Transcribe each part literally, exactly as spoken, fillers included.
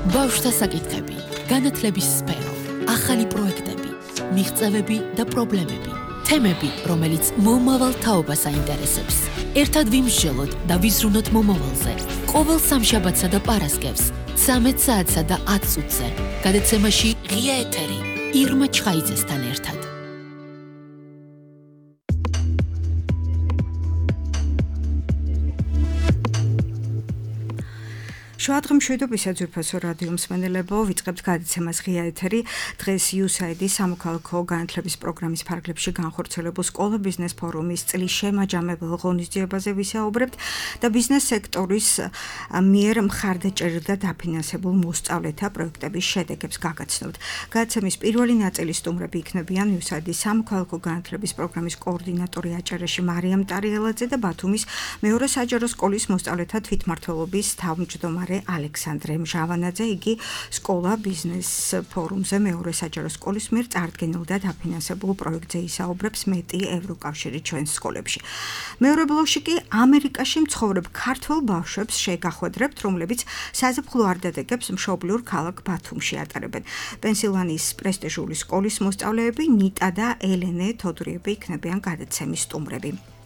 ბავშვთა საკითხები, განათლების სფერო, ახალი პროექტები, მიღწევები და პრობლემები, თემები, რომელიც მომავალ თაობას აინტერესებს. ერთად ვიმსჯელოთ და ვიზრუნოთ მომავალზე. ყოველ სამშაბათსა და პარასკევს, ცამეტ საათსა და ათ წუთზე, გადაცემაში ღია ეთერი, ირმა ჩხაიძესთან ერთად. შუადღემ მშვიდობისა ძვირფასო რადიო მსმენელებო, ვიწყებთ გადაცემას ღია ეთერი. დღეს იუსაიდი სამოქალაქო განათლების პროგრამის ფარგლებში განხორციელებულ სკოლა ბიზნეს ფორუმის წლის შემაჯამებელ ღონისძიებაზე ვისაუბრებთ და ბიზნეს სექტორის მიერ მხარდაჭერილ და დაფინანსებულ მოსწავლეთა პროექტების შედეგებს გაგაცნობთ. გადაცემის პირველი ნაწილის სტუმრები იქნებიან იუსაიდის სამოქალაქო განათლების პროგრამის კოორდინატორი აჭარაში მარიამ ტარიელაძე და ბათუმის მეორე საჯარო სკოლის მოსწავლეთა თვითმმართველობის თავმჯდომარე ალექსანდრე მჟავანაძე. იგი სკოლა ბიზნეს ფორუმზე მეორე საჯარო სკოლის მიერ წარდგენილ და დაფინანსებულ პროექტზე ისაუბრებს მეტი ევროკავშირი ჩვენს სკოლებში. მეორე ბლოკში კი ამერიკაში მცხოვრებ ქართველ ბავშვებს შეგახვედრებთ, რომლებიც საზაფხულო არდადეგებს მშობლიურ ქალაქ ბათუმში ატარებენ. პენსილვანიის პრესტიჟული სკოლის მოსწავლეები ნიტა და ელენე თოდრიები იქნებიან გადაცემის სტუმრები.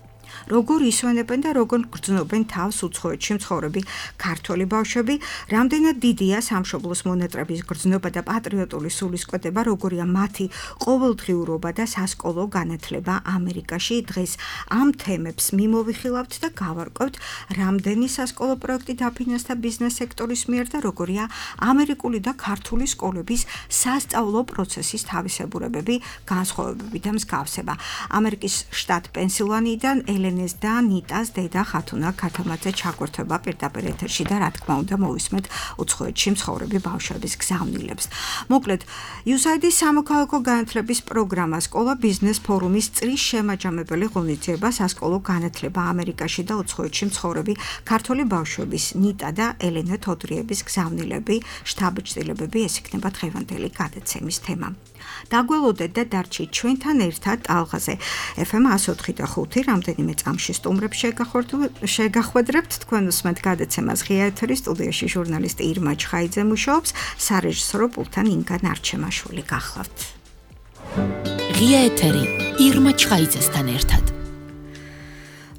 როგორ ისვენებენ და როგორ გრძნობენ თავს უცხოეთში მცხოვრები ქართველი ბავშვები, რამდენად დიდია სამშობლოს მონატრების გრძნობა და პატრიოტული სულისკვეთება, როგორია მათი ყოველდღიურობა და სასკოლო განათლება ამერიკაში. დღეს ამ თემებს მიმოვიხილავთ და გავარკვევთ, რამდენი სასკოლო პროექტი დაფინანსდა ბიზნეს სექტორის მიერ და როგორია ამერიკული და ქართული სკოლების სასწავლო პროცესის თავისებურებები, განსხვავებები და მსგავსება. ამერიკის შტატ პენსილვანიიდან ელენეს და ნიტას დედა ხათუნა ქათამაძე ჩაგვერთვება პირდაპირ ეთერში და რა თქმა უნდა მოვისმენთ უცხოეთში მცხოვრები ბავშვების გზავნილებს. მოკლედ, იუსაიდის სამოქალაქო განათლების პროგრამა სკოლა ბიზნეს ფორუმის წლის შემაჯამებელი ღონისძიება სასკოლო განათლება ამერიკაში და უცხოეთში მცხოვრები ქართველი ბავშვების ნიტა და ელენე თოდრიების გზავნილები, შთაბეჭდილებები, ეს იქნება დღევანდელი გადაცემის თემა. დაგველოდეთ და დარჩით ჩვენთან ერთად ტალღაზე ეფ ემ εκατო ოთხი და ხუთი, რამდენიმე წამში სტუმრებს შეგახვედრებთ. თქვენ უსმენთ გადაცემას ღია ეთერი, სტუდიაში ჟურნალისტი ირმა ჩხაიძე მუშაობს, სარეჟისორო პულტთან ინგა ნარჩემაშვილი. გახლავთ. ღია ეთერი, ირმა ჩხაიძესთან ერთად.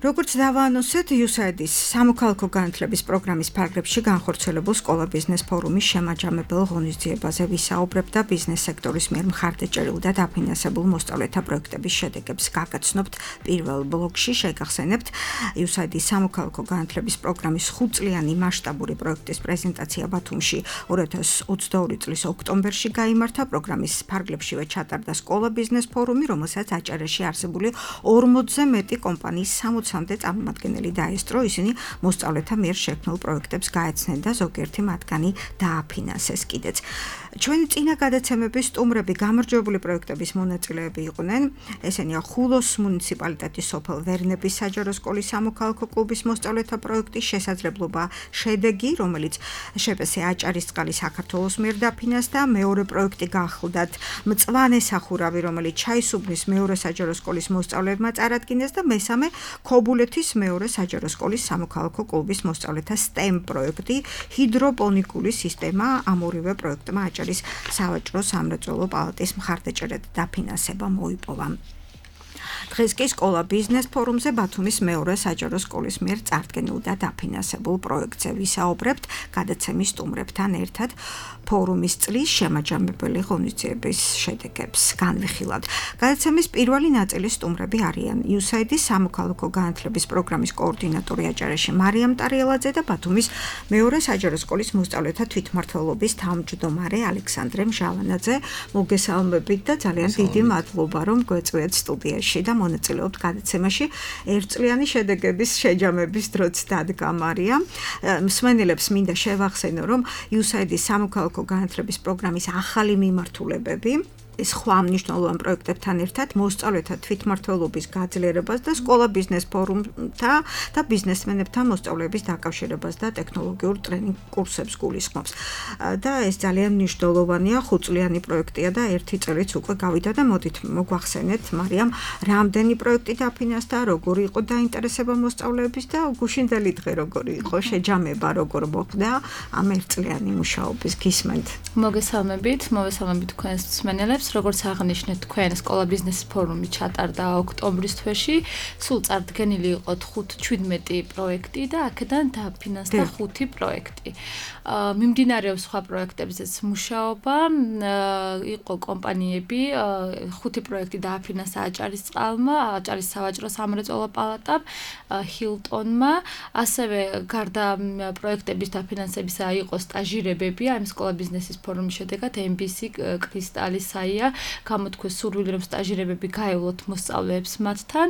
როგორც დავაანონსეთ, იუსაიდის სამოქალაქო განათლების პროგრამის ფარგლებში განხორციელებულ სკოლა ბიზნეს ფორუმის შემაჯამებელ ღონისძიებაზე ვისაუბრებთ და ბიზნეს სექტორის მიერ მხარდაჭერილ და დაფინანსებულ მოსწავლეთა პროექტების შედეგებს გაგაცნობთ. პირველ ბლოკში შეგახსენებთ იუსაიდის სამოქალაქო განათლების პროგრამის ხუთწლიანი მასშტაბური პროექტის პრეზენტაცია ბათუმში ორი ათას ოცდაორი წლის ოქტომბერში გაიმართა. პროგრამის ფარგლებშივე ჩატარდა სკოლა ბიზნეს ფორუმი, რომელსაც აჭარაში არსებული ორმოცზე მეტი კომპანიის სამოცამდე წარმომადგენელი დაესწრო. ისინი მოსწავლეთა მიერ შექმნილ პროექტებს გაეცნენ და ზოგიერთი მათგანი დააფინანსეს კიდეც. ჩვენი წინა გადაცემების სტუმრები გამარჯვებული პროექტების მონაწილეები იყვნენ. ესენია ხულოს მუნიციპალიტეტის სოფელ ვერნების საჯარო სკოლის სამოქალაქო კლუბის მოსწავლეთა პროექტის შესაძლებლობა შედეგი, რომელიც შპს აჭარისწყალი საქართველოს მიერ დაფინანსდა. მეორე პროექტი გახლდათ მწვანე სახურავი, რომელიც ჩაისუბნის მეორე საჯარო სკოლის მოსწავლეებმა წარადგინეს და მესამე ქობულეთის მეორე საჯარო სკოლის სამოქალაქო კლუბის მოსწავლეთა სტემ პროექტი, ჰიდროპონიკული სისტემა. ამ ორივე პროექტმა აჭარის სავაჭრო სამრეწველო პალატის მხარდაჭერა და დაფინანსება მოიპოვა. დღეს კი სკოლა ბიზნეს ფორუმზე ბათუმის მეორე საჯარო სკოლის მიერ წარდგენილ და დაფინანსებულ პროექტზე ვისაუბრებთ გადაცემის სტუმრებთან ერთად. ფორუმის წლის შემაჯამებელი ღონისძიების შედეგებს განვიხილავთ. გადაცემის პირველი ნაწილის სტუმრები არიან იუსაიდის სამოქალაქო განათლების პროგრამის კოორდინატორი აჭარაში მარიამ ტარიელაძე და ბათუმის მეორე საჯარო სკოლის მოსწავლეთა თვითმმართველობის თავმჯდომარე ალექსანდრე მჟავანაძე. მოგესალმებით და ძალიან დიდი მადლობა, რომ გვეწვიათ სტუდიაში და მონაწილეობთ გადაცემაში. ერთწლიანი შედეგების შეჯამების დროც დადგა მარიამ. მსმენელებს მინდა შევახსენო, რომ იუსაიდის სამოქალაქო განათლების პროგრამის ახალი მიმართულებები სხვა მნიშვნელოვან პროექტებთან ერთად მოსწავლეთა თვითმმართველობის გაძლიერებას და სკოლა ბიზნეს ფორუმთა და ბიზნესმენებთან მოსწავლეების დაკავშირებას და ტექნოლოგიურ ტრენინგ კურსებს გულისხმობს. და ეს ძალიან მნიშვნელოვანია, ხუთწლიანი პროექტია და ერთი წელიც უკვე გავიდა და მოდით მოგვახსენეთ, მარიამ, რამდენი პროექტი დაფინანსდა, როგორი იყო დაინტერესება მოსწავლეების და გუშინდელი დღე როგორი იყო, შეჯამება როგორ მოხდა ამ ერთწლიანი მუშაობის გისმენთ. მოგესალმებით, მოგესალმებით თქვენს მსმენელებს. როგორც აღნიშნეთ, თქვენ სკოლა ბიზნეს ფორუმი ჩატარდა ოქტომბრის თვეში. სულ წარდგენილი იყო თხუთმეტი პროექტი და აქედან დაფინანსდა ხუთი პროექტი. მიმდინარეობს სხვა პროექტებზეც მუშაობა. იყო კომპანიები, ხუთი პროექტი დააფინანსა აჭარისწყალმა, აჭარის სავაჭრო სამრეწველო პალატამ, ჰილტონმა, ასევე გარდა პროექტების დაფინანსებისა იყო სტაჟირებები, ამ სკოლა ბიზნესის ფორუმის შედეგად ემ ბი სი, კრისტალი, საია გამოთქვეს სურვილი, რომ სტაჟირებები გაევლოთ მოსწავლეებს მათთან.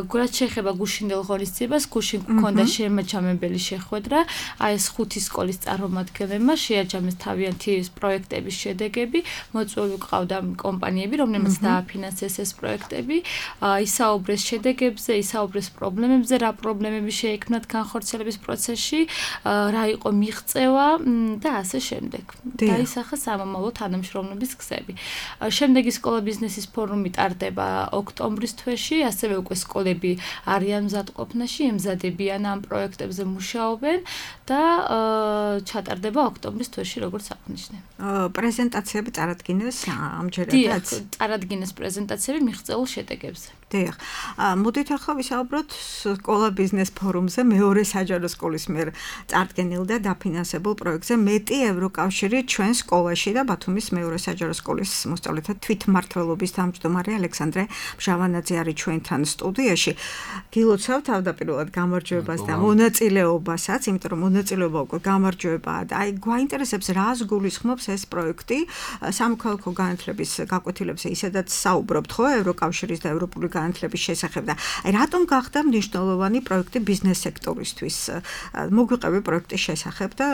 რაც შეეხება გუშინდელ ღონისძიებას, გუშინ ჰქონდა შემაჯამებელი შეხვედრა, აი ეს ხუთი სკოლის წარმომადგენლებმა შეაჯამეს თავიანთი პროექტების შედეგები, მოწვეული ყავდა კომპანიები, რომლებმაც დააფინანსეს ეს პროექტები, ისაუბრეს შედეგებზე, ისაუბრეს პრობლემებზე, რა პრობლემები შეექმნათ განხორციელების პროცესში, რა იყო მიღწევა და ასე შემდეგ. დაისახა სამომავლო თანამშრომლობის გზები. შემდეგი სკოლა ბიზნესის ფორუმი ტარდება ოქტომბრის თვეში, ასევე უკვე სკოლები არიან მზადყოფნაში, ემზადებიან ამ პროექტებზე მუშაობენ და ჩატარდება ოქტომბრის თვეში, როგორც აღნიშნე. პრეზენტაციები წარადგინეს ამჯერადაც? დიახ, წარადგინეს პრეზენტაციები მიღწეულ შედეგებზე. დიახ. მოდით ახლა ვისაუბროთ სკოლა ბიზნეს ფორუმზე მეორე საჯარო სკოლის მიერ წარდგენილ და დაფინანსებულ პროექტზე. მეტი ევროკავშირი ჩვენ სკოლაში და ბათუმის მეორე საჯარო სკოლის მოსწავლეთა თვითმმართველობის თავმჯდომარე ალექსანდრე მჟავანაძე არის ჩვენთან სტუდიაში. გილოცავ თავდაპირველად გამარჯვებას და მონაწილეობასაც, იმიტომ რომ მონაწილეობა უკვე გამარჯვებაა და აი გვაინტერესებს რას გულისხმობს ეს პროექტი სამოქალაქო განათლების გაკვეთილებზე ისედაც საუბრობთ ხო ევროკავშირის და ევროპული განათლების შესახებ და აი რატომ გახდა მნიშვნელოვანი პროექტი ბიზნეს სექტორისთვის? მოგვიყევი პროექტის შესახებ და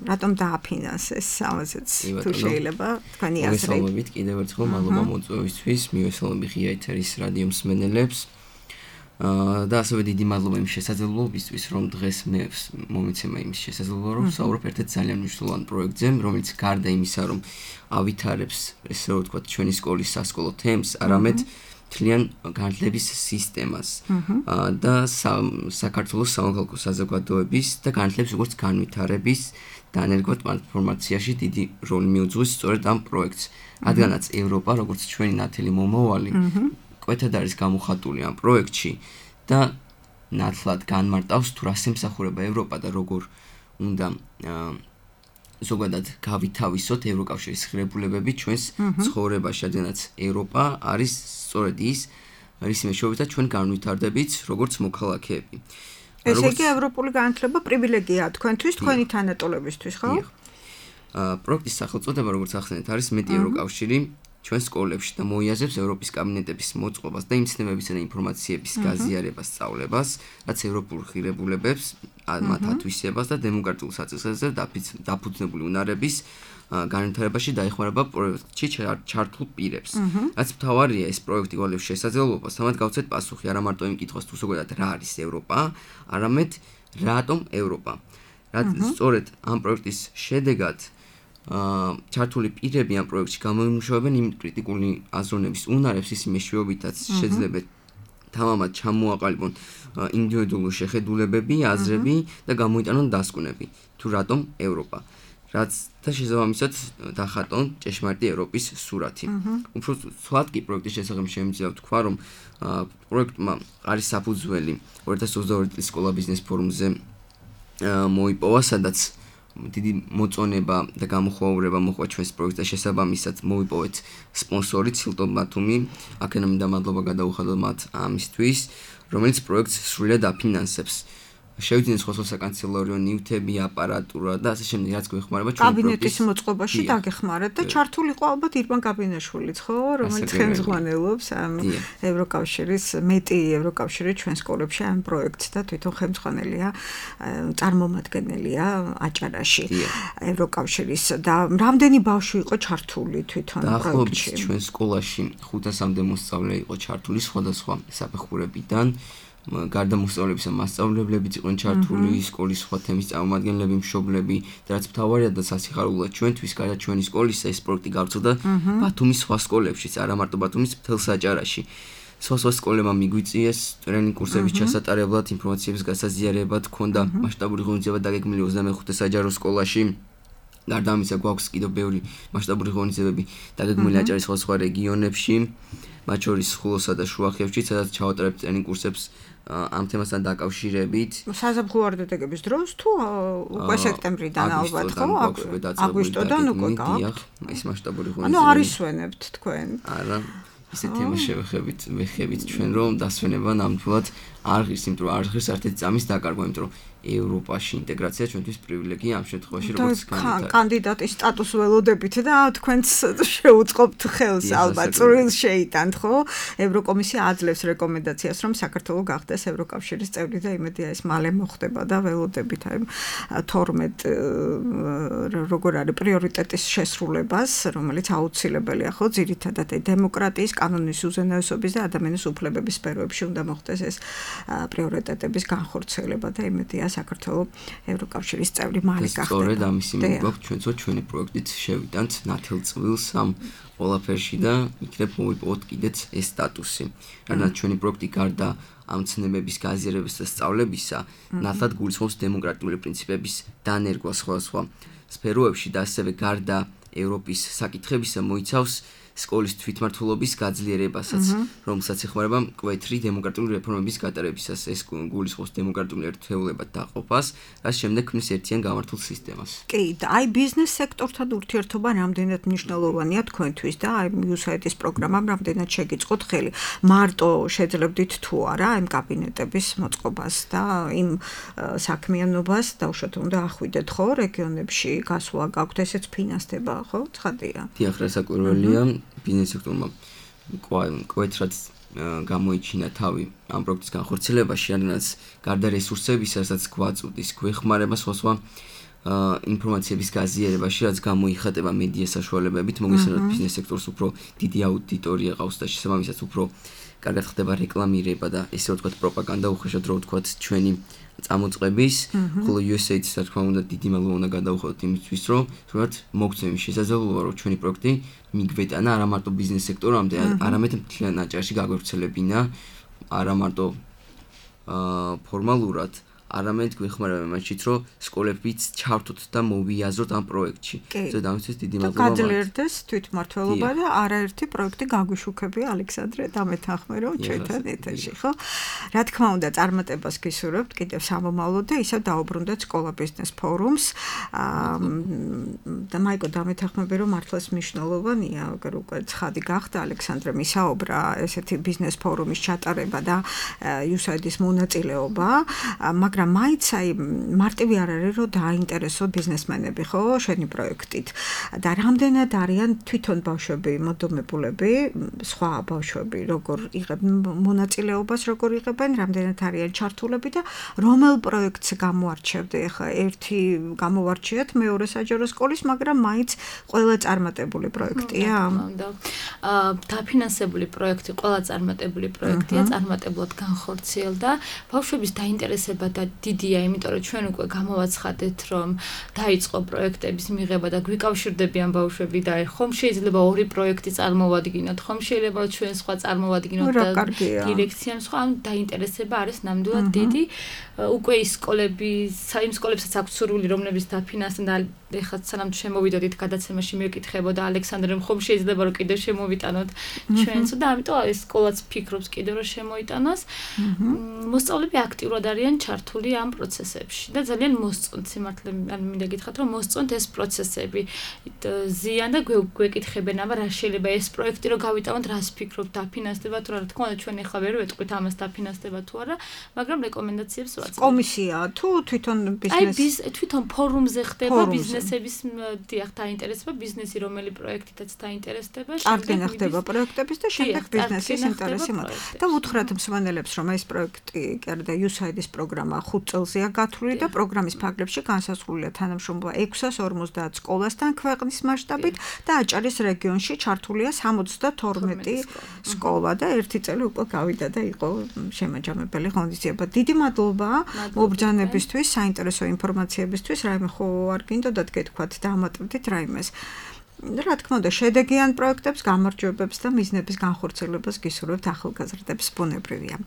რატომ დააფინანსეს ამაზეც თუ შეიძლება თქვენი აზრი? მოგესალმებით კიდევ ერთხელ, მადლობა მოწვევისთვის, მივესალმები ღია ეთერის რადიო მსმენელებს. და ასევე დიდი მადლობა იმ შესაძლებლობისთვის, რომ დღეს მე მომიცემა იმის შესაძლებლობა, რომ ვსაუბრობ ერთ-ერთ ძალიან მნიშვნელოვან პროექტზე, რომელიც გარდა იმისა, რომ ავითარებს, ესე რომ ვთქვათ, ჩვენი სკოლის სასკოლო თემს, არამედ მთლიან განათლების სისტემას და საქართველოს სამოქალაქო საზოგადოების და განათლების როგორც განვითარების და ენერგოტრანსფორმაციაში დიდი როლი მიუძღვის სწორედ ამ პროექტს. რადგანაც ევროპა, როგორც ჩვენი ნათელი მომავალი, კვეთად არის გამოხატული ამ პროექტში და ნათლად განმარტავს თუ რას ემსახურება ევროპა და როგორ უნდა ზოგადად გავითავისოთ ევროკავშირის ღირებულებები ჩვენს ცხოვრებაში, რადგანაც ევროპა არის სწორედ ის, რის მეშვეობითაც ჩვენ განვითარდებით როგორც მოქალაქეები. ესე იგი ევროპული განათლება პრივილეგიაა თქვენთვის, თქვენი თანატოლებისთვის, ხო? დიახ. პროექტის სახელწოდება, როგორც ახსენეთ, არის მეტი ევროკავშირი ჩვენ სკოლებში და მოიაზრებს ევროპის კაბინეტების მოწყობას და იმ ცნებებისა და ინფორმაციების გაზიარებას, სწავლებას, რაც ევროპულ ღირებულებებს, მათ ათვისებას და დემოკრატიულ საწესებზე დაფუძნებული უნარების განვითარებაში დაეხმარება პროექტში ჩართულ პირებს. რაც მთავარია ეს პროექტი გვალევს შესაძლებლობას, თამად გავცეთ პასუხი არა მარტო იმ კითხვას თუ ზოგადად რა არის ევროპა, არამედ რატომ ევროპა. რაც სწორედ ამ პროექტის შედეგად ჩართული პირები ამ პროექტში გამოიმუშავებენ იმ კრიტიკული აზროვნების უნარებს, ის მეშვეობითაც შეძლებენ თამამად ჩამოაყალიბონ ინდივიდუალური შეხედულებები, აზრები და გამოიტანონ დასკვნები თუ რატომ ევროპა. რაც და შესაბამისად დახატონ ჭეშმარიტი ევროპის სურათი. უფრო ცვლად კი პროექტის შესახებ შემიძლია ვთქვა, რომ პროექტმა არის საფუძველი ორი ათას ოცდაორი წლის სკოლა ბიზნეს ფორუმზე მოიპოვა, სადაც დიდი მოწონება და გამოხმაურება მოხდა ჩვენს პროექტს და შესაბამისად მოვიპოვეთ სპონსორი ჰილტონ ბათუმი, აქედან მინდა მადლობა გადაუხადოთ მათ ამისთვის, რომელიც პროექტს სრულად აფინანსებს. შევიდნენ სხვა სხვა საკანცელერიო ნივთები, აპარატურა და ასე შემდეგ, რაც გვეხმარება ჩვენი კაბინეტის მოწყობაში დაგეხმარათ და ჩართული იყო ალბათ ირბან კაბინაშვილიც, ხო, რომელიც ხელმძღვანელობს ამ ევროკავშირის მეტი ევროკავშირი ჩვენ სკოლებში ამ პროექტს და თვითონ ხელმძღვანელია, წარმომადგენელია აჭარაში ევროკავშირის და რამდენი ბავშვი იყო ჩართული თვითონ პროექტში? ჩვენ სკოლაში ხუთასამდე მოსწავლე იყო ჩართული სხვადასხვა საფეხურებიდან. გარდა მოსწავლებისა მასწავლებლებიც იყვნენ ჩართული, სკოლის სხვა თემის წარმომადგენლები, მშობლები და რაც მთავარია და სასიხარულოა ჩვენთვის, გარდა ჩვენი სკოლისა ეს პროექტი გავრცელდა ბათუმის სხვა სკოლებშიც, არა მარტო ბათუმის, მთელ საჭარაში. სხვა სხვა სკოლებმა მიგვიწიეს ტრენინგ კურსების ჩასატარებლად, ინფორმაციების გასაზიარებლად, ჰქონდა მასშტაბური ღონისძიება დაგეგმილი ოცდამეხუთე საჯარო სკოლაში. გარდა ამისა გვაქვს კიდევ ბევრი მასშტაბური ღონისძიებები დაგეგმილი აჭარის სხვა სხვა რეგიონებში, მათ შორის ხულოსა და შუახევში, სადაც ჩავატარებთ ტრენინგ კურსებს ამ თემასთან დაკავშირებით. საზაფხულო ვარდადეგების დროს თუ უკვე სექტემბრიდან ალბათ ხო? აგვისტოდან უკვე გაქვთ. ეს მასშტაბური ღონისძიება. ანუ არ ისვენებთ თქვენ. არა. ისეთ თემას შევეხებით, ვეხებით ჩვენ რომ დასვენება ნამდვილად არ ღირს, იმიტომ რომ არ ღირს ერთ-ერთი წამის დაკარგვა, იმიტომ რომ ევროპაში ინტეგრაცია ჩვენთვის პრივილეგია ამ შემთხვევაში როგორც კანდიდატის სტატუსს ველოდებით და თქვენც შეუწყობთ ხელს ალბათ წვრილს შეიტანთ ხო? ევროკომისია აძლევს რეკომენდაციას რომ საქართველო გახდეს ევროკავშირის წევრი და იმედია ეს მალე მოხდება და ველოდებით აი თორმეტ როგორ არის პრიორიტეტის შესრულებას, რომელიც აუცილებელია ხო ძირითადად დემოკრატიის, კანონის უზენაესობის და ადამიანის უფლებების სფეროებში უნდა მოხდეს ეს პრიორიტეტების განხორციელება და იმედია საქართველო ევროკავშირის წევრი მალე გახდება. სწორედ ამის იმედი გვაქვს ჩვენც რომ ჩვენი პროექტით შევიტანთ ნათელწვილს ამ ყველაფერში და იქნებ მოვიპოვოთ კიდეც ეს სტატუსი. რადგან ჩვენი პროექტი გარდა ამ ცნებების გაზიარებისა და სწავლებისა, ნათლად გულისხმობს დემოკრატიული პრინციპების დანერგვა სხვადასხვა სფეროებში და ასევე გარდა ევროპის საკითხებისა მოიცავს სკოლის თვითმმართველობის გაძლიერებასაც, რომელსაც ეხმარება მკვეთრი დემოკრატიული რეფორმების გატარებისას. ეს გულისხმობს დემოკრატიული ერთეულებად დაყოფას, რაც შემდეგ ქმნის ერთიან გამართულ სისტემას. კი, და აი ბიზნეს სექტორთან ურთიერთობა რამდენად მნიშვნელოვანია თქვენთვის და აი იუსაიდის პროგრამამ რამდენად შეგიწყოთ ხელი. მარტო შეძლებდით თუ არა იმ კაბინეტების მოწყობას და იმ საქმიანობას დაუშვათ უნდა ახვიდეთ ხო რეგიონებში გასვლა გაქვთ ესეც ფინანსდება ხო? ცხადია. დიახ, რასაკვირველია ბიზნეს სექტორმა მკვეთრად გამოიჩინა თავი ამ პროექტის განხორციელებაში, რადგანაც გარდა რესურსებისა, რასაც გვაწვდის, გვეხმარება სხვა სხვა ინფორმაციების გაზიარებაში, რაც გამოიხატება მედია საშუალებებით, მოგესალმებით ბიზნეს სექტორს უფრო დიდი აუდიტორია ყავს და შესაბამისად უფრო კარგად ხდება რეკლამირება და ესე რომ ვთქვათ პროპაგანდა უხეშად რო ვთქვათ ჩვენი წამოწყების, ხოლო იუ ეს ეიდის რა თქმა უნდა დიდი მადლობა უნდა გადავუხადოთ იმისთვის, რომ თუნდაც მოგცემ შესაძლებლობა, რომ ჩვენი პროექტი მიგვეტანა არა მარტო ბიზნეს სექტორამდე, არამედ მთლიან აჭარაში გაგვევრცელებინა, არა მარტო ფორმალურად, არამედ გვეხმარება იმაშიც, რომ სკოლებიც ჩავთოთ და მოვიაზროთ ამ პროექტში. ზოგადად ამისთვის დიდი მადლობა. გაძლიერდეს თვითმმართველობა და არაერთი პროექტი გაგვიშუქებია ალექსანდრე დამეთანხმე რომ ჩვენთან ეთერში, ხო? რა თქმა უნდა, წარმატებას გისურვებთ კიდევ სამომავლოდ და ისევ დაუბრუნდეთ სკოლა ბიზნეს ფორუმს. და მაიკო დამეთანხმები რომ მართლაც მნიშვნელოვანია, აგერ უკვე ცხადი გახდა ალექსანდრე მისაუბრა ესეთი ბიზნეს ფორუმის ჩატარება და იუსაიდის მონაწილეობა, მაგრამ მაგრამ მაინც აი მარტივი არ არის რომ დააინტერესო ბიზნესმენები ხო შენი პროექტით და რამდენად არიან თვითონ ბავშვები მოდომებულები სხვა ბავშვები როგორ იღებენ მონაწილეობას როგორ იღებენ რამდენად არიან ჩართულები და რომელ პროექტს გამოარჩევდი ხა ერთი გამოვარჩიეთ მეორე საჯარო სკოლის მაგრამ მაინც ყველა წარმატებული პროექტია და დაფინანსებული პროექტი ყველა წარმატებული პროექტია წარმატებლად განხორციელდა ბავშვების დაინტერესება და დიდია, იმიტომ რომ ჩვენ უკვე გამოვაცხადეთ, რომ დაიწყო პროექტების მიღება და გვიკავშირდებიან ბავშვები და ხომ შეიძლება ორი პროექტი წარმოვადგინოთ, ხომ შეიძლება ჩვენ სხვა წარმოვადგინოთ და დირექციამ სხვა ამ დაინტერესება არის ნამდვილად დიდი. უკვე ის სკოლები, იმ სკოლებსაც აქვს სურვილი, რომლებიც დაფინანსდნენ და ეხლა სანამ შემოვიდოდით გადაცემაში მეკითხებოდა ალექსანდრემ ხომ შეიძლება რომ კიდევ შემოვიტანოთ ჩვენს და ამიტომ ეს სკოლაც ფიქრობს კიდევ რომ შემოიტანოს. მოსწავლეები აქტიურად არიან ჩართული ამ პროცესებში და ძალიან მოსწონთ სიმართლე ან მინდა გითხრათ რომ მოსწონთ ეს პროცესები. ზიან და გვეკითხებენ აბა რა შეიძლება ეს პროექტი რომ გავიტანოთ რას ფიქრობთ დაფინანსდება თუ რა თქმა უნდა ჩვენ ახლა ვერ ვეტყვით ამას დაფინანსდება თუ არა მაგრამ რეკომენდაციებს ვაწევთ. კომისია თუ თვითონ ბიზნესი აი თვითონ ფორუმზე ხდება ბიზნესების დიახ დაინტერესება ბიზნესი რომელი პროექტითაც დაინტერესდება აღდგენა ხდება პროექტების და შემდეგ ბიზნესის ინტერესი მოდის და უთხრათ მსმენელებს რომ ეს პროექტი კერდა იუსაიდის პროგრამა ხუთ წელზეა გათვლილი და პროგრამის ფარგლებში განსაზღვრულია თანამშრომლობა ექვსას ორმოცდაათ სკოლასთან ქვეყნის მასშტაბით და აჭარის რეგიონში ჩართულია სამოცდათორმეტი სკოლა და ერთი წელი უკვე გავიდა და იყო შემაჯამებელი ღონისძიება. დიდი მადლობა მობრძანებისთვის, საინტერესო ინფორმაციებისთვის, რაიმე ხო არ გინდოდათ გეთქვათ და ამატებდით რაიმეს. რა თქმა უნდა, შედეგიან პროექტებს, გამარჯვებებს და მიზნების განხორციელებას გისურვებთ ახალგაზრდებს ბუნებრივია.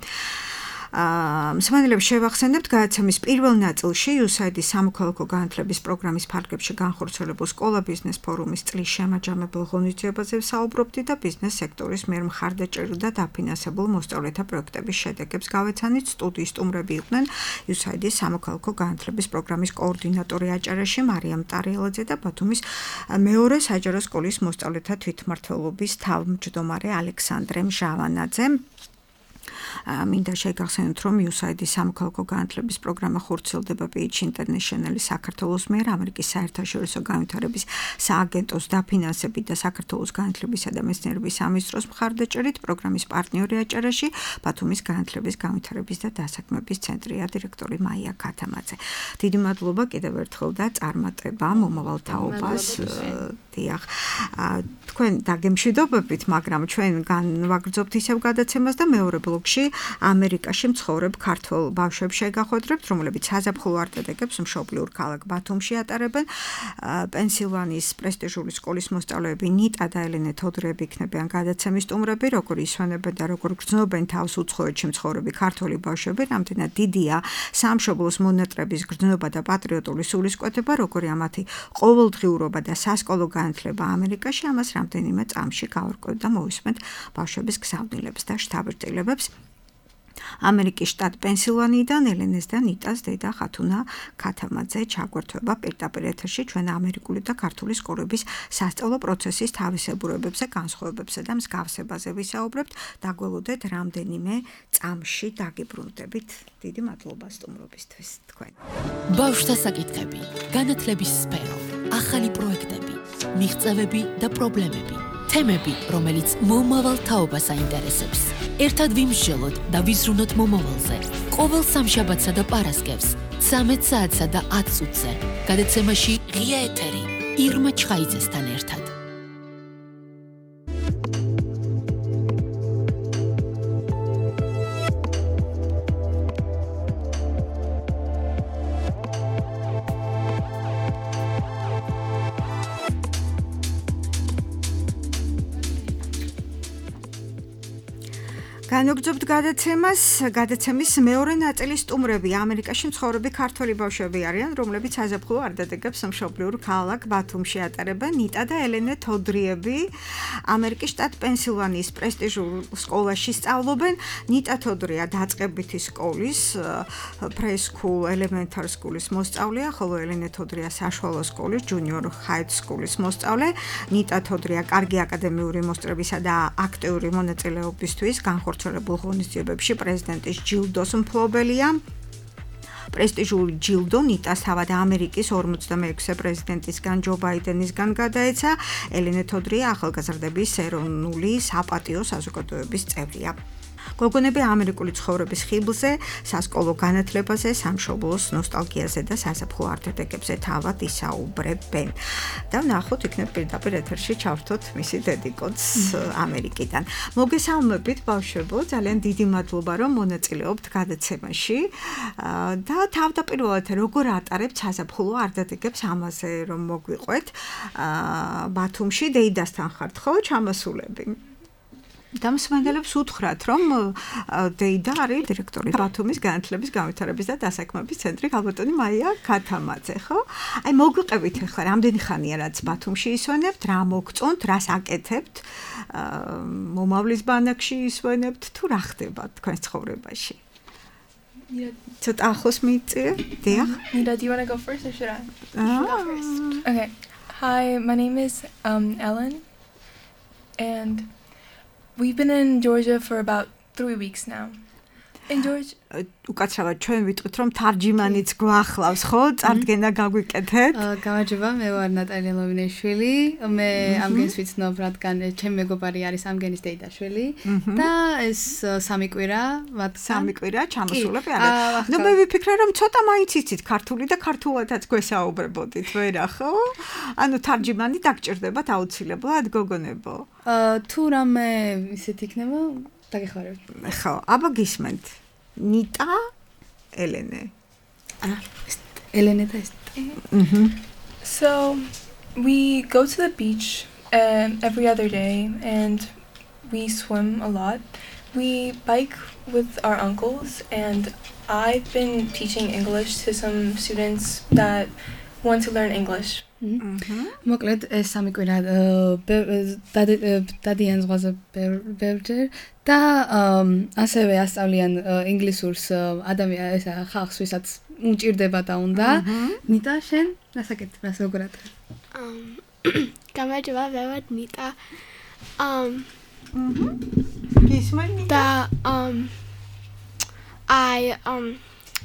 მსმენელებს შევახსენებთ გადაცემის პირველ ნაწილში იუსაიდის სამოქალაქო განათლების პროგრამის ფარგლებში განხორციელებულ სკოლა ბიზნეს ფორუმის წლის შემაჯამებელ ღონისძიებაზე ვსაუბრობდით და ბიზნეს სექტორის მიერ მხარდაჭერილ და დაფინანსებულ მოსწავლეთა პროექტების შედეგებს გავეცანით. სტუდიის სტუმრები იყვნენ იუსაიდის სამოქალაქო განათლების პროგრამის კოორდინატორი აჭარაში მარიამ ტარიელაძე და ბათუმის მეორე საჯარო სკოლის მოსწავლეთა თვითმმართველობის თავმჯდომარე ალექსანდრე ჟავანაძე. მინდა შეგახსენოთ, რომ იუსაიდის სამოქალაქო განათლების პროგრამა ხორციელდება პეიჩ ინტერნეშნალის საქართველოს მიერ ამერიკის საერთაშორისო განვითარების სააგენტოს დაფინანსებით და საქართველოს განათლებისა და მეცნიერების სამინისტროს მხარდაჭერით. პროგრამის პარტნიორი აჭარაში ბათუმის განათლების განვითარების და დასაქმების ცენტრია დირექტორი მაია ქათამაძე. დიდი მადლობა კიდევ ერთხელ და წარმატება მომავალ თაობას. დიახ, თქვენ დაგემშვიდობებით, მაგრამ ჩვენ განვაგრძობთ ისევ გადაცემას და მეორე ბლოკში ამერიკაში მცხოვრებ ქართველ ბავშვებს შეგახვედრებთ, რომლებიც საზაფხულო არტედეგებს მშობლიურ ქალაქ ბათუმში ატარებენ. პენსილვანიის პრესტიჟული სკოლის მოსწავლეები ნიტა და ელენე თოდრეები იქნებიან გადაცემის სტუმრები, როგორ ისვენებენ და როგორ გრძნობენ თავს უცხოეთში მცხოვრები ქართველი ბავშვები, რამდენად დიდია სამშობლოს მონატრების გრძნობა და პატრიოტული სულისკვეთება, როგორი ამათი ყოველდღიურობა და სასკოლო განათლება ამერიკაში, ამას რამდენიმე წამში გავარკვევთ და მოვისმენთ ბავშვების გზავნილებს და შთაბეჭდილებებს. ამერიკის შტატ პენსილვანიიდან ელენეს და ნიტას დედა ხათუნა ქათამაძე ჩაგვერთვება პირდაპირ ეთერში ჩვენ ამერიკული და ქართული სკოლების სასწავლო პროცესის თავისებურებებზე, განსხვავებებსა და მსგავსებაზე ვისაუბრებთ. დაგველოდეთ რამდენიმე წამში დაგიბრუნდებით. დიდი მადლობა სტუმრობისთვის თქვენ. ბავშვთა საკითხები, განათლების სფერო, ახალი პროექტები, მიღწევები და პრობლემები. თემები, რომელიც მომავალ თაობას აინტერესებს. ერთად ვიმსჯელოთ და ვიზრუნოთ მომავალზე. ყოველ სამშაბათსა და პარასკევს, ცამეტ საათსა და ათ წუთზე. გადაცემაში ღია ეთერი ირმა ჩხაიძესთან ერთად. განვაგრძობთ გადაცემას, გადაცემის მეორე ნაწილის სტუმრები ამერიკაში მცხოვრები ქართველი ბავშვები არიან, რომლებიც საზაფხულო არტედეგებს მშობლიურ ქალაქ ბათუმში ატარებენ. ნიტა და ელენე თოდრიები ამერიკის შტატ პენსილვანიის პრესტიჟულ სკოლაში სწავლობენ. ნიტა თოდრია დაწყებითი სკოლის preschool elementary schoolis მოსწავლეა, ხოლო ელენე თოდრია საშუალო სკოლის junior high schoolis მოსწავლე. ნიტა თოდრია კარგი აკადემიური მოსწრებისა და აქტიური მონაწილეობისთვის განხორციელებულ ღონისძიებებში პრეზიდენტის ჯილდოს მფლობელია. პრესტიჟული ჯილდო ნიტას თავად ამერიკის ორმოცდამეექვსე პრეზიდენტისგან ჯო ბაიდენისგან გადაეცა. ელენე თოდრია ახალგაზრდების ეროვნული საპატიო საზოგადოების წევრია. გოგონები ამერიკული ცხოვრების ხიბლზე, სასკოლო განათლებაზე, სამშობლოს ნოსტალგიაზე და საზაფხულო არტედეგებზე თავად ისაუბრებენ. და ვნახოთ იქნებ პირდაპირ ეთერში ჩავრთოთ მისი დედიკოც ამერიკიდან. მოგესალმებით ბავშვებო, ძალიან დიდი მადლობა რომ მონაწილეობთ გადაცემაში და თავდაპირველად როგორ ატარებთ საზაფხულო არტედეგებს, ამაზე რომ მოგვიყვეთ. ბათუმში დეიდასთან ხართ ხო ჩამასულები? და მსმენელებს უთხრათ, რომ დეიდა არის დირექტორი ბათუმის განათლების განვითარების და დასაქმების ცენტრი ქალბატონი მაია ქათამაძე, ხო? აი მოგვიყევით ახლა რამდენი ხანია რაც ბათუმში ისვენებთ, რა მოგწონთ, რას აკეთებთ, მომავლის ბანაკში ისვენებთ თუ რა ხდება თქვენს ცხოვრებაში? ცოტა ახლოს მიიწირე? დიახ. Nida, do you want to go first or should I? You go first. Okay. Hi, my name is um, Ellen, and we've been in Georgia for about three weeks now. In Georgia. უკაცრავად ჩვენ ვიტყვით რომ თარჯიმანიც გვახლავს, ხო? წარდგენა გაგვიკეთეთ. გამარჯობა, მე ვარ ნატალია ლოვინეშვილი. მე ამგენს ვიცნობ, რადგან ჩემი მეგობარი არის ამგენის დეიდაშვილი და ეს სამი კვირა, სამი კვირა ჩამოსულები არის. ნუ მე ვიფიქრე რომ ცოტა მაინც იცით ქართული და ქართულადაც გვესაუბრებოდით, ვერა, ხო? ანუ თარჯიმანი დაგჭირდებათ აუცილებლად, გოგონებო. თუ რამე ისეთ იქნება, დაგეხმარებთ. ხო, აბა გისმენთ. Nita, Elene. Ah, Elene da ist. Mhm. So, we go to the beach um, every other day and we swim a lot. We bike with our uncles, and I've been teaching English to some students that want to learn English. მოკლედ ეს სამი კვირა დადიან ზღვაზე ბევრჯერ და ასევე ასწავლიან ინგლისურს ადამიან ესა ხალხს ვისაც უჭირდება და უნდა ნიტა შენ რასაკეთ რას როგორ ატარ გამარჯობა მე ვარ ნიტა um გისმენთ და um I um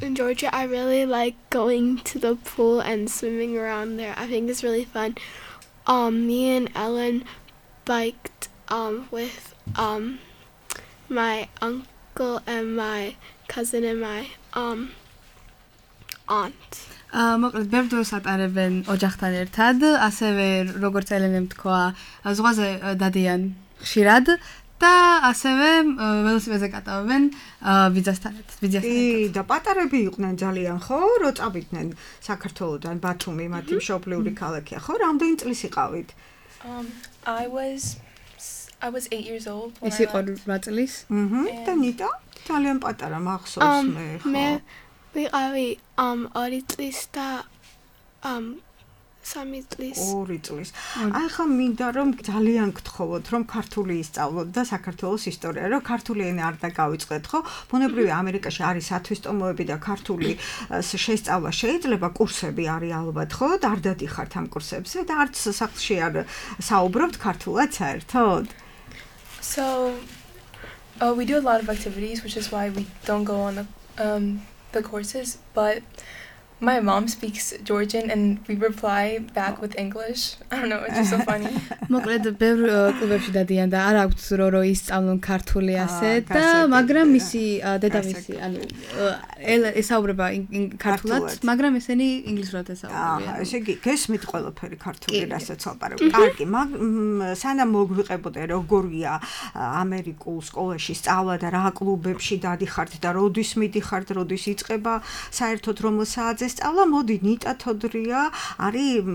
in Georgia, I really like going to the pool and swimming around there. I think it's really fun. Um, me and Ellen biked um, with um, my uncle and my cousin and my um, aunt. მოკლედ ბევრ დროს ატარებენ ოჯახთან ერთად, ასევე როგორც ელენემ თქვა, ზღვაზე დადიან ხშირად. და ასევე ველოსიპედზე კატავებენ ვიზასთან ერთად, ვიზასთან ერთად. კი, და პატარები იყვნენ ძალიან, ხო? რო წავიდნენ საქართველოდან ბათუმი, მათი მშობლიური ქალაქია, ხო? რამდენი წლის იყავით? Um, I was I was eight years old when I იყო რვა წლის. აჰა. და ნიტა? ძალიან პატარა მახსოვს მე, ხო? მე ვიყავი um ორი წლის და um სამი წლის. ორი წლის. აი ხა მინდა რომ ძალიან გთხოვოთ რომ ქართული ისწავლოთ და საქართველოს ისტორია, რომ ქართული ენა არ დაგავიწყდეთ, ხო? ბუნებრივია ამერიკაში არის სათვისტომოები და ქართული შესწავლა შეიძლება, კურსები არის ალბათ, ხო? და არ დადიხართ ამ კურსებზე და არც სახლში არ საუბრობთ ქართულად საერთოდ. So uh, we do a lot of activities, which is why we don't go on the um the courses, but my mom speaks Georgian and we reply back with English. I don't know, it's just so funny. მოკლედ ბევრ კლუბებში დადიან და არ აქვს რო რო ისწავლონ ქართული ასე და მაგრამ მისი დედამისი ანუ ესაუბრება ქართულად, მაგრამ ესენი ინგლისურად ესაუბრებიან. აა, ესე იგი, გესმით ყველაფერი ქართული რასაც ვაპარებ. კარგი, სანამ მოგვიყებოდე როგორია ამერიკულ სკოლაში სწავლა და რა კლუბებში დადიხართ და როდის მიდიხართ, როდის იწყება საერთოდ რომელ საათზე სწავლა, მოდი ნიტა თოდრია არის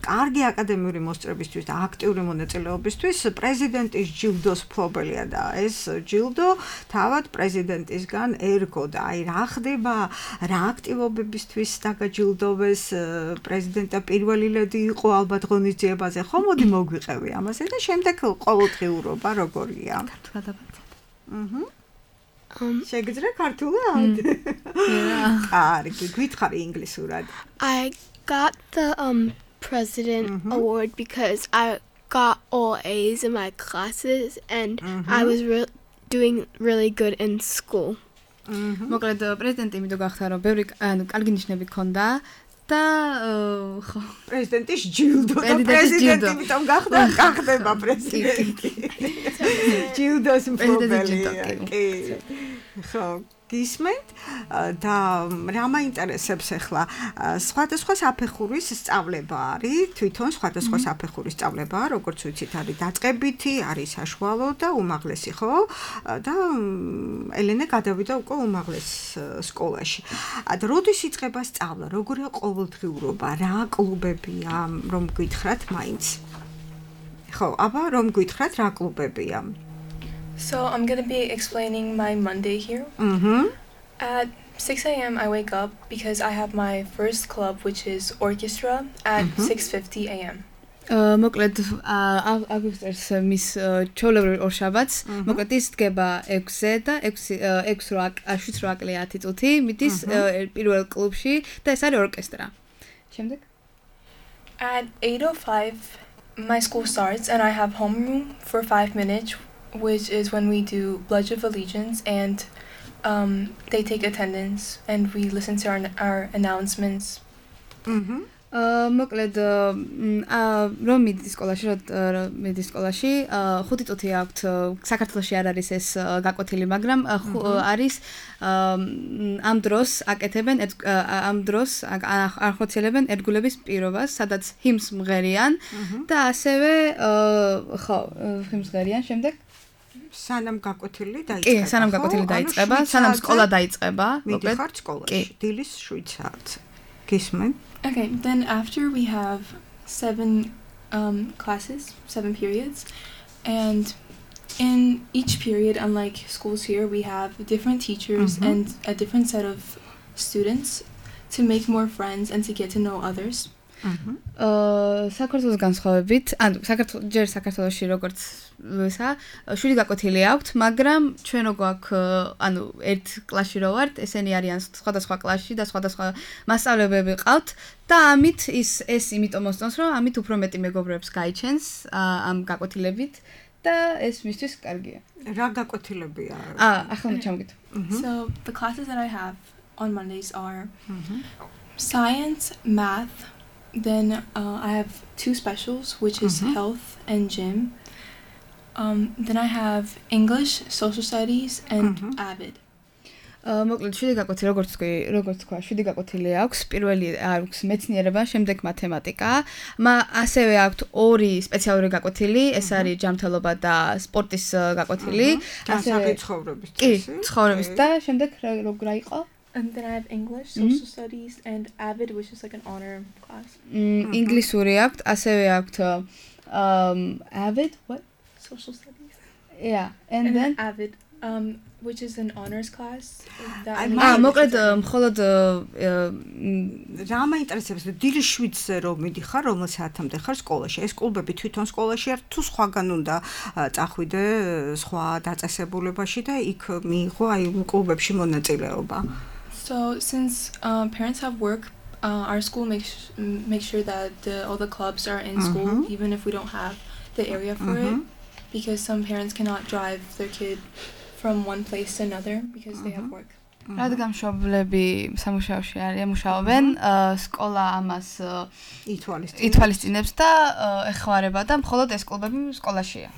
კარგი აკადემიური მოსწრებისთვის და აქტიური მონაწილეობისთვის პრეზიდენტის ჯილდოს მფლობელია და ეს ჯილდო თავად პრეზიდენტისგან ერგო და აი რა ხდება, რა აქტივობებისთვის დაგაჯილდოვეს პრეზიდენტა პირველი ლედი იყო ალბათ ღონისძიებაზე, ხო მოდი მოგვიყევი ამაზე და შემდეგ ყოველდღიურობა როგორია? ქართულად აბაცეთ. აჰა. შეგიძლია ქართულად? კარგი, გითხარი ინგლისურად. I got the um president mm-hmm. award because I got all A's in my classes and mm-hmm. I was re- doing really good in school. მოკლედ პრეზიდენტი იმით გახდა რომ ბევრი ანუ კარგი ნიშნები ჰქონდა და ხო პრეზიდენტის ჯილდო და პრეზიდენტი იმითომ გახდა გახდება პრეზიდენტი. ჯილდოს მფლობელია. კი. ხო გისმენთ და რა მაინტერესებს ახლა სხვადასხვა საფეხურის სწავლება არის თვითონ სხვადასხვა საფეხურის სწავლება როგორც ვიცით არის დაწყებითი არის საშუალო და უმაღლესი ხო და ელენე გადავიდა უკვე უმაღლეს სკოლაში და როდის იწყება სწავლა როგორია ყოველდღიურობა რა კლუბებია რომ გითხრათ მაინც ხო აბა რომ გითხრათ რა კლუბებია So I'm going to be explaining my Monday here. Mhm. At six a.m. I wake up because I have my first club, which is orchestra, at six fifty a.m. მოკლედ აგვისტერს მის ჩაოლებრივ ორშაბათს მოკლედ ის დგება ექვსზე და ექვსი შვიდ რვა ათი წუთი მიდის პირველ კლუბში და ეს არის ორკესტრა. შემდეგ At eight oh five my school starts and I have homeroom for five minutes, which is when we do Pledge of Allegiance and um, they take attendance and we listen to our, our announcements. Mhm. მოკლედ რომ მიდის სკოლაში რომ მიდის სკოლაში ხუთი წუთი აქვთ საქართველოში არ არის ეს გაკვეთილი მაგრამ არის ამ დროს აკეთებენ ამ დროს არ ხოცელებენ ერთგულების პირობას სადაც ჰიმს მღერიან და ასევე ხო ჰიმს მღერიან შემდეგ სანამ გაკვეთილი დაიწყება. კი, სანამ გაკვეთილი დაიწყება, სანამ სკოლა დაიწყება, მოკლედ ხარ სკოლაში. დილის შვიდ საათზე. გისმენ? Okay, then after we have seven um, classes, seven periods, and in each period, unlike schools here, we have different teachers mm-hmm. and a different set of students to make more friends and to get to know others. აა საქართველოს განსხვავებით, ანუ საქართველოს ჯერ საქართველოში როგორც ისა, შვიდი გაკვეთილი აქვთ, მაგრამ ჩვენ რო გვაქვს, ანუ ერთ კლასში რო ვართ, ესენი არიან სხვადასხვა კლასში და სხვადასხვა მასწავლებელები ყავთ და ამით ის ეს იმიტომ მოსწონს, რომ ამით უფრო მეტი მეგობრებს გაიჩენს ამ გაკვეთილებით და ეს მისთვის კარგია. რა გაკვეთილებია? აა, ახლა ჩამოგით. So the classes that I have on Mondays are science, math. Then uh, I have two specials, which is mm-hmm. health and gym. Um, then I have English, social studies, and mm-hmm. AVID. აა მოკლედ შვიდი გაკვეთილი როგორც თქვი, როგორც თქვა, შვიდი გაკვეთილი აქვს. პირველი აქვს მეცნიერება, შემდეგ მათემატიკა. მა ასევე აქვს ორი სპეციალური გაკვეთილი, ეს არის ჯანმრთელობა და სპორტის გაკვეთილი. ასევე ცხოვრების კი, ცხოვრების და შემდეგ რა იყო? And then I have English, social mm-hmm. studies, and AVID, which is like an honor class. Mm, ინგლისური აქვს, ასევე აქვს um AVID, what? Social studies. Yeah, and, and then AVID, um, which is an honors class. აა მოკლედ მხოლოდ რა მაინტერესებს დილის შვიდზე რომ მიდიხარ, რომელ საათამდე ხარ სკოლაში? ეს კლუბები თვითონ სკოლაში არ თუ სხვაგან უნდა წახვიდე სხვა დაწესებულებაში და იქ მიიღო აი კლუბებში მონაწილეობა? So since uh, parents have work, uh, our school makes make sure that the, all the clubs are in mm-hmm. school, even if we don't have the area for mm-hmm. it, because some parents cannot drive their kid from one place to another because mm-hmm. they have work. რადგან მშობლები სამუშაოში არიან, მუშაობენ, სკოლა ამას ითვალისწინებს და ეხმარება და მხოლოდ ეს კლუბები სკოლაშია.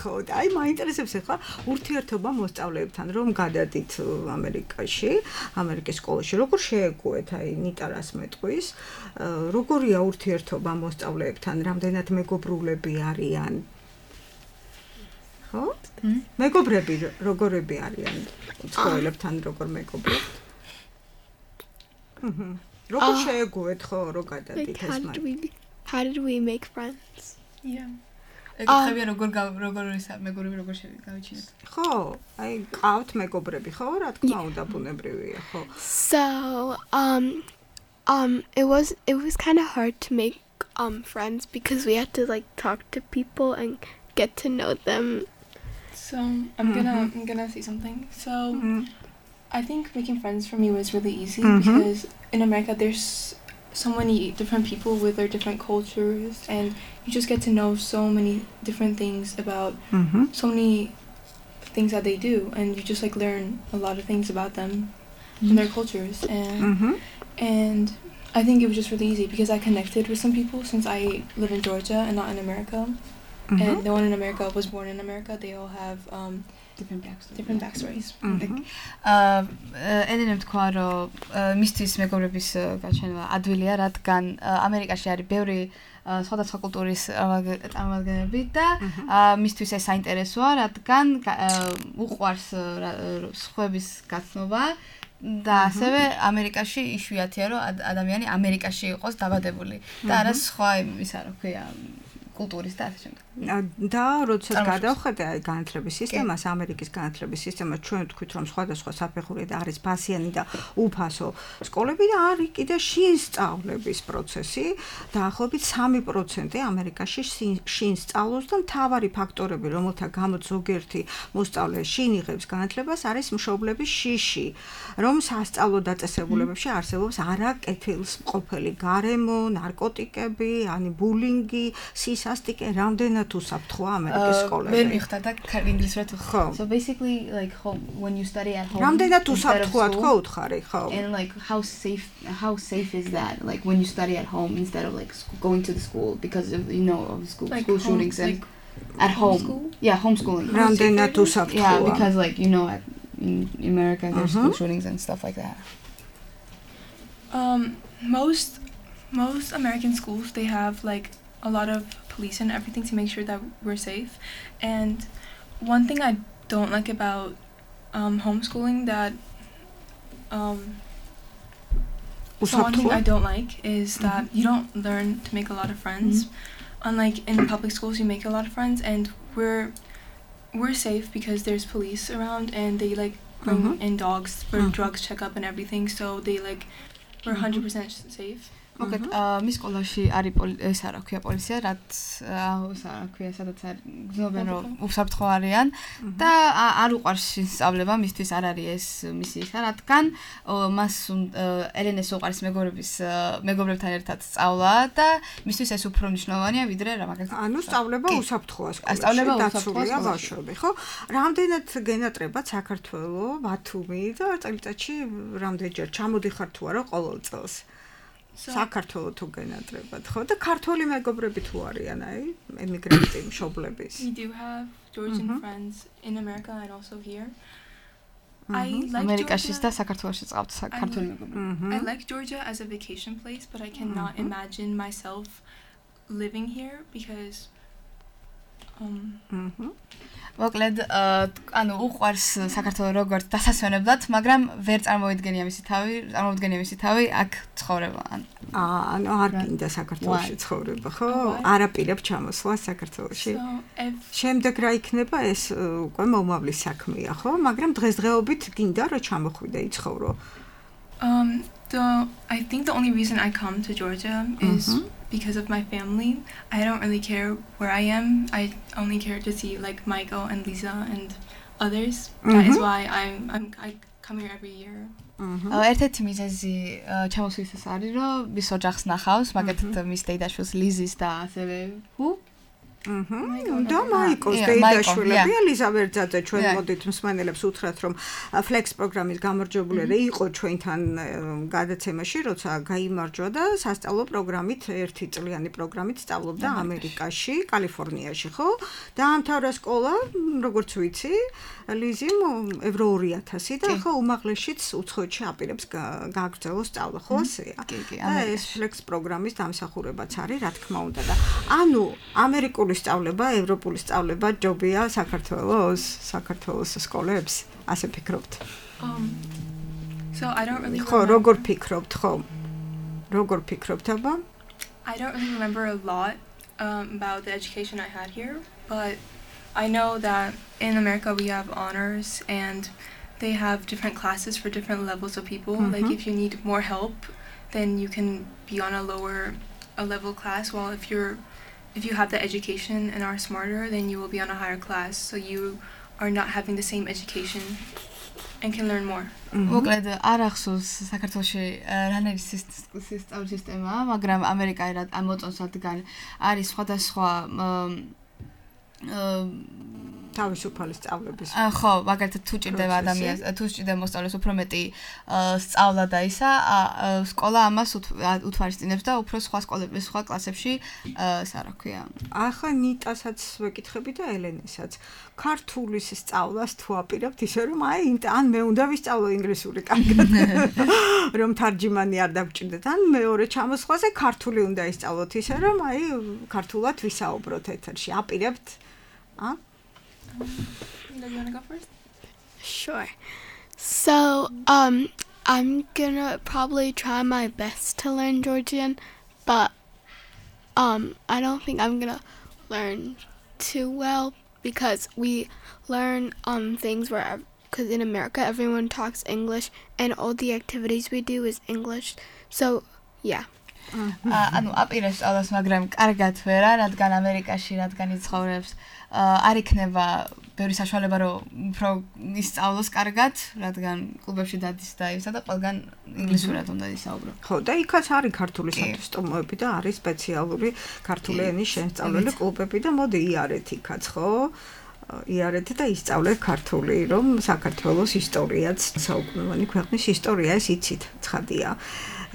ხო, აი მაინტერესებს ახლა ურთიერთობა მოსწავლეებთან, რომ გადადით ამერიკაში, ამერიკის სკოლაში, როგორ შეეგუეთ აი ნიტარას მეტყვის, როგორია ურთიერთობა მოსწავლეებთან, რამდენად მეგობრულები არიან? ხო? მეგობრები როგორები არიან? სკოლებთან როგორ მეგობრებთ? ჰმ. როგორ შეეგუეთ ხო რო გადადით ეს მაგ? How did we make friends? Yeah. ეკითხებია როგორ როგორ ისა მეგობრები როგორ შევგავიჩინოთ? ხო, აი ყავთ მეგობრები ხო? რა თქმა უნდა ბუნებრივია, ხო. So, um um it was it was kind of hard to make um friends because we had to like talk to people and get to know them. So I'm gonna mm-hmm. I'm gonna say something. So mm-hmm. I think making friends for me was really easy mm-hmm. because in America there's so many different people with their different cultures and you just get to know so many different things about mm-hmm. so many things that they do and you just like learn a lot of things about them mm-hmm. and their cultures and mm-hmm. and I think it was just really easy because I connected with some people since I live in Georgia and not in America. Mm-hmm. And the one in America was born in America. They all have um, different backstories. Different backstories. აა ედენემ თქვა რომ მისთვის მეგობრების გაჩენება ადვილია, რადგან ამერიკაში არის ბევრი სხვადასხვა კულტურის წარმომადგენლები და მისთვის ეს საინტერესოა, რადგან უყვარს სხვების გაცნობა და ასევე ამერიკაში იშვიათია რომ ადამიანი ამერიკაში იყოს დაბადებული და არა სხვა ისა რა ქვია კულტურის და ასე შემდეგ. და როდესაც გადავხედე აი განათლების სისტემას, ამერიკის განათლების სისტემას, ჩვენ ვთქვით, რომ სხვადასხვა საფეხურით არის ფასიანი და უფასო სკოლები და არის კიდე შინ სწავლების პროცესი, დაახლოებით სამი პროცენტი ამერიკაში შინ სწავლობს და მთავარი ფაქტორები, რომელთა გამოც ზოგიერთი მოსწავლე შინ იღებს განათლებას, არის მშობლების შიში, რომ სასწავლო დაწესებულებებში არსებობს არაკეთილსმყოფელი გარემო, ნარკოტიკები, ani ბულინგი, სისასტიკე, რამდენად უსაფრთხოა ამერიკის სკოლები. ვერ მიხდა და ინგლისურად ხო. So basically like home, when you study at home. რამდენად უსაფრთხოა თქო უთხარი, ხო. And like how safe how safe is that like when you study at home instead of like school, going to the school because of you know of school like school home, shootings and like at home. homeschool? Yeah, homeschooling. რამდენად უსაფრთხოა. Yeah, because like you know at, in America there's uh-huh. school shootings and stuff like that. Um most most American schools they have like a lot of police and everything to make sure that we're safe. And one thing I don't like about um, homeschooling that um, so one thing I don't like is that mm-hmm. you don't learn to make a lot of friends. Mm-hmm. Unlike in public schools, you make a lot of friends, and we're we're safe because there's police around and they like bring mm-hmm. in dogs for mm-hmm. drugs checkup and everything. So they like we're one hundred percent safe. მოგეთ მის სკოლაში არის ეს არა ქვია პოლიცია რაც ეს არა ქვია სადაც გზნობენ რომ უსაფრთხო არიან და არ უყარს სწავლება მისთვის არ არის ეს მისი ისა რადგან მას ელენეს უყარს მეგობრების მეგობრებთან ერთად სწავლა და მისთვის ეს უფრო მნიშვნელოვანია ვიდრე რა მაგალითად ანუ სწავლება უსაფრთხოა სკოლაში დაცულია ბავშვები ხო რამდენად გენატრებად საქართველოს ბათუმი და წელიწადში რამდენჯერ ჩამოდიხარ თუ არა ყოველ წელს საქართველოს თუ გენატრებად ხო და ქართველი მეგობრები თუ არიან აი ემიგრანტი მშობლების We do have Georgian mm-hmm. friends in America and also here. Mm-hmm. I like ამერიკაშიც და საქართველოშიც ყავთ ქართველი მეგობრები. I like Georgia as a vacation place, but I cannot mm-hmm. imagine myself living here because um mhm მოკლედ ანუ უყვარს საქართველოს როგორც დასასვენებლად, მაგრამ ვერ წარმოვიდგენია მისი თავი, წარმოვიდგენია მისი თავი აქ ცხოვრება. აა ანუ არ გინდა საქართველოში ცხოვრება, ხო? არაპირებ ჩამოსვლა საქართველოში. შემდეგ რა იქნება ეს უკვე მომავლის საქმეა, ხო? მაგრამ დღესდღეობით გინდა რომ ჩამოხვიდე იცხოვრო. Um the I think the only reason I come to Georgia is mm-hmm. because of my family. I don't really care where I am. I only care to see like Michael and Lisa and others. Mm-hmm. That is why I'm I'm I come here every year. ერთ-ერთი მიზეზი ჩამოსვლისას არის რომ მის ოჯახს ნახავს, მაგალითად მის დედაშვილს ლიზის და ასევე ჰუ აჰა და მაიკოს დედაშვილები ელიზაბერტაძე ჩვენ მოდით მსმენელებს უთხრათ რომ ფლექს პროგრამის გამარჯვებული იყო ჩვენთან გადაცემაში როცა გაიმარჯვა და სასწავლო პროგრამით ერთი წლიანი პროგრამით სწავლობდა ამერიკაში კალიფორნიაში ხო დაამთავრა სკოლა როგორც ვიცი ლიზიმ ევრო ორი ათასი და ხო უმაღლესშიც უცხოეთში აპირებს გააგრძელოს სწავლა ხო ასეა და ეს ფლექს პროგრამის დამსახურებაც არის რა თქმა უნდა და ანუ ამერიკული სწავლება, ევროპული სწავლება ჯობია საქართველოს, საქართველოს სკოლებს, ასე ფიქრობთ? Um So I don't really ხო, როგორ ფიქრობთ, ხო? როგორ ფიქრობთ აბა? I don't really remember a lot um, about the education I had here, but I know that in America we have honors and they have different classes for different levels of people. Mm-hmm. Like if you need more help, then you can be on a lower a level class, while if you're if you have the education and are smarter, then you will be on a higher class, so you are not having the same education and can learn more. მოკლედ არ ახსოვს საქართველოში რანერი სწავლის სისტემა, მაგრამ ამერიკაში რა ამოწონს რადგან არის სხვადასხვა თავისუფალი სწავლების. ხო, მაგალითად თუ ჭირდება ადამიანს, თუ ჭირდება მოსწავლეს უფრო მეტი სწავლა და ისა, სკოლა ამას უთვალისწინებს და უფრო სხვა სკოლებში, სხვა კლასებში, ისა რა ქვია. ახლა ნიტასაც ვეკითხები და ელენესაც. ქართულის სწავლას თუ აპირებთ ისე რომ აი ან მე უნდა ვისწავლო ინგლისური კარგად. რომ თარჯიმანი არ დაგჭირდეთ, ან მეორე ჩამოსვლაზე ქართული უნდა ისწავლოთ ისე რომ აი ქართულად ვისაუბროთ ეთერში. აპირებთ? ა? Do you want to go first? Sure. So, um, I'm gonna probably try my best to learn Georgian, but um, I don't think I'm gonna learn too well because we learn um things where because in America everyone talks English and all the activities we do is English. So yeah. ანუ აპირებს სწავლას, მაგრამ კარგად ვერა, რადგან ამერიკაში, რადგან იცხოვრებს, არ იქნება ბევრი საშუალება, რომ უფრო ისწავლოს კარგად, რადგან კლუბებში დადის და ისა და ყველგან ინგლისურად უნდა ისაუბრო. ხო, და იქაც არის ქართული სათვისტომოები და არის სპეციალური ქართული ენის შემსწავლელი კლუბები და მოდი იარეთ იქაც, ხო? იარეთ და ისწავლეთ ქართული, რომ საქართველოს ისტორიაც, საუკუნოვანი ქვეყნის ისტორია ეს იცით, ცხადია.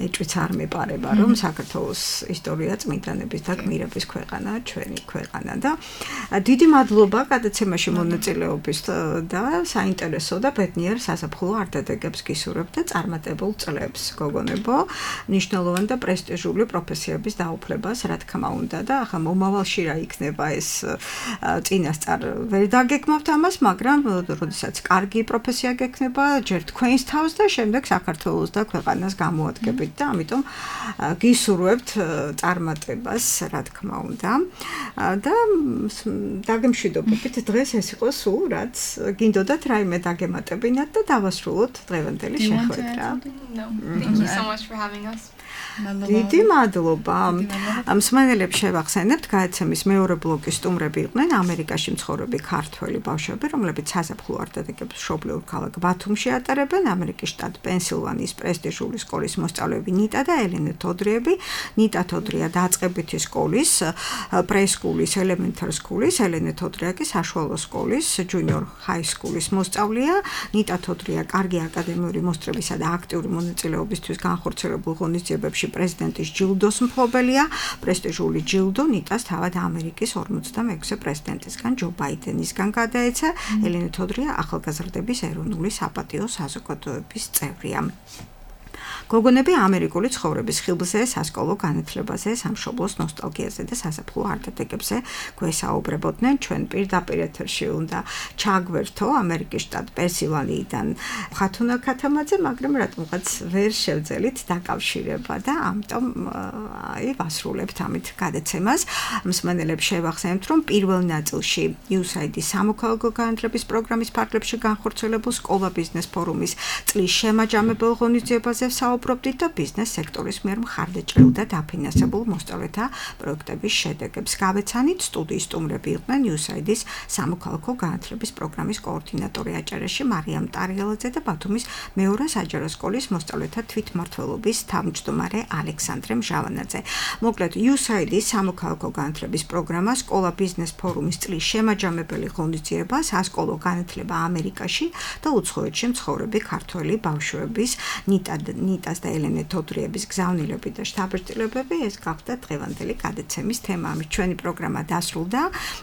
ეჭვიც არ მეპარება, რომ საქართველოს ისტორია წმინდანების და გმირების ქვეყანა, ჩვენი ქვეყანა და დიდი მადლობა გადაცემაში მონაწილეობის და საინტერესო და ბედნიერ საზაფხულო არდადეგებს გისურვებთ და წარმატებულ წლებს, გოგონებო, მნიშვნელოვანი და პრესტიჟული პროფესიების დაუფლებას, რა თქმა უნდა და ახლა მომავალში რა იქნება ეს წინასწარ ვერ დაგეკმავთ ამას, მაგრამ როდესაც კარგი პროფესია გექნება, ჯერ თქვენს თავს და შემდეგ საქართველოს და ქვეყანას გამოადგებით და ამიტომ გისურვებთ წარმატებას, რა თქმა უნდა. და დაგემშვიდობებით დღეს ეს იყო სულ, რაც გინდოდათ რაიმე დაგემატებინათ და დავასრულოთ დღევანდელი შეხვედრა. No. Thank you so much for having us. დიდი მადლობა. მსმენელებს შევახსენებთ, გადაცემის მეორე ბლოკის სტუმრები იყვნენ ამერიკაში მცხოვრები ქართველი ბავშვები, რომლებიც საზაფხულო არდადეგებს მშობლიურ ქალაქ ბათუმში ატარებენ. ამერიკის შტატ პენსილვანიის პრესტიჟული სკოლის მოსწავლეები ნიტა და ელენე თოდრიები. ნიტა თოდრია დაწყებითი სკოლის, პრესკულის, ელემენტარ სკულის, ელენე თოდრია კი საშუალო სკოლის, ჯუნიორ ჰაი სკულის მოსწავლეა. ნიტა თოდრია კარგი აკადემიური მოსწრებისა და აქტიური მონაწილეობისთვის განხორციელებულ ღონისძიებებში პრეზიდენტის ჯილდოს მფლობელია. პრესტიჟული ჯილდო ნიტას თავად ამერიკის ორმოცდამექვსე პრეზიდენტისგან ჯო ბაიდენისგან გადაეცა. ელენე თოდრია ახალგაზრდების ეროვნული საპატიო საზოგადოების წევრია. გოგონები ამერიკული ცხოვრების ხილზე, სასკოლო განათლებაზე, სამშობლოს ნოსტალგიაზე და საზაფხულო არდადეგებზე გვესაუბრებოდნენ. ჩვენ პირდაპირ ეთერში უნდა ჩაგვერთო ამერიკის შტატ პენსილვანიიდან ხათუნა ქათამაძე, მაგრამ რატომღაც ვერ შევძელით დაკავშირება და ამიტომ აი ვასრულებთ ამით გადაცემას. მსმენელებს შევახსენებთ, რომ პირველ ნაწილში იუ ეს აი დი სამოქალაქო განათლების პროგრამის ფარგლებში განხორციელებულ სკოლა ბიზნეს ფორუმის წლის შემაჯამებელ ღონისძიებაზე საუბრობდით და ბიზნეს სექტორის მიერ მხარდაჭერილ და დაფინანსებულ მოსწავლეთა პროექტების შედეგებს გავეცანით. სტუდიის სტუმრები იყვნენ იუ ეს აი დის სამოქალაქო განათლების პროგრამის კოორდინატორი აჭარაში მარიამ ტარიელაძე და ბათუმის მეორე საჯარო სკოლის მოსწავლეთა თვითმმართველობის თავმჯდომარე ალექსანდრე მჟავანაძე. მოკლედ იუ ეს აი დის სამოქალაქო განათლების პროგრამა სკოლა ბიზნეს ფორუმის წლის შემაჯამებელი ღონისძიება სასკოლო განათლება ამერიკაში და უცხოეთში მცხოვრები ქართველი ბავშვების ნიტა ნიტას და ელენე თოდრიების გზავნილები და შთაბეჭდილებები ეს გახდა დღევანდელი გადაცემის თემა. ამით ჩვენი პროგრამა დასრულდა.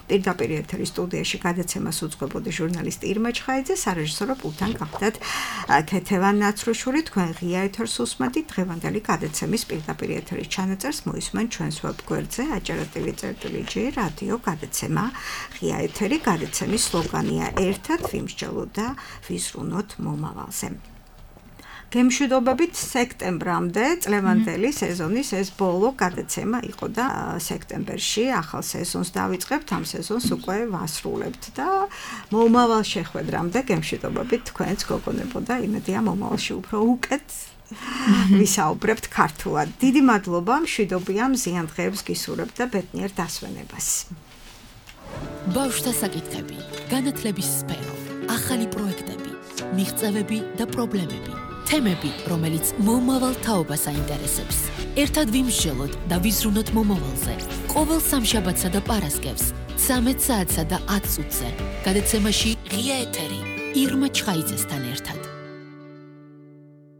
პირდაპირ ეთერის სტუდიაში გადაცემას უძღვებოდი ჟურნალისტი ირმა ჩხაიძე, სარეჟისორო პულტთან გახდათ ქეთევან ნაცრუშური. თქვენ ღია ეთერს უსმენთ. დღევანდელი გადაცემის პირდაპირ ეთერის ჩანაწერს მოისმენ ჩვენს ვებგვერდზე აჭარა ტივი წერტილი ჯი რადიო გადაცემა ღია ეთერი. გადაცემის სლოგანია ერთად ვიმსჯელოთ და ვიზრუნოთ მომავალზე. გემშვიდობებით სექტემბრამდე წლევანდელი სეზონის ეს ბოლო გადაცემა იყო და სექტემბერში ახალ სეზონს დავიწყებთ, ამ სეზონს უკვე ვასრულებთ და მომავალ შეხვედრამდე გემშვიდობებით თქვენს გოგონებო და იმედია მომავალში უფრო უკეთ ვისაუბრებთ ქართულად. დიდი მადლობა, მშვიდობიან მზიან დღეებს გისურვებთ და ბედნიერ დასვენებას. ბავშვთა საკითხები, განათლების სფერო, ახალი პროექტები, მიღწევები და პრობლემები. თემები, რომელიც მომავალ თაობას აინტერესებს. ერთად ვიმსჯელოთ და ვიზრუნოთ მომავალზე. ყოველ სამშაბათსა და პარასკევს, ცამეტ საათსა და ათ წუთზე. გადაცემაში ღია ეთერი ირმა ჩხაიძესთან ერთად.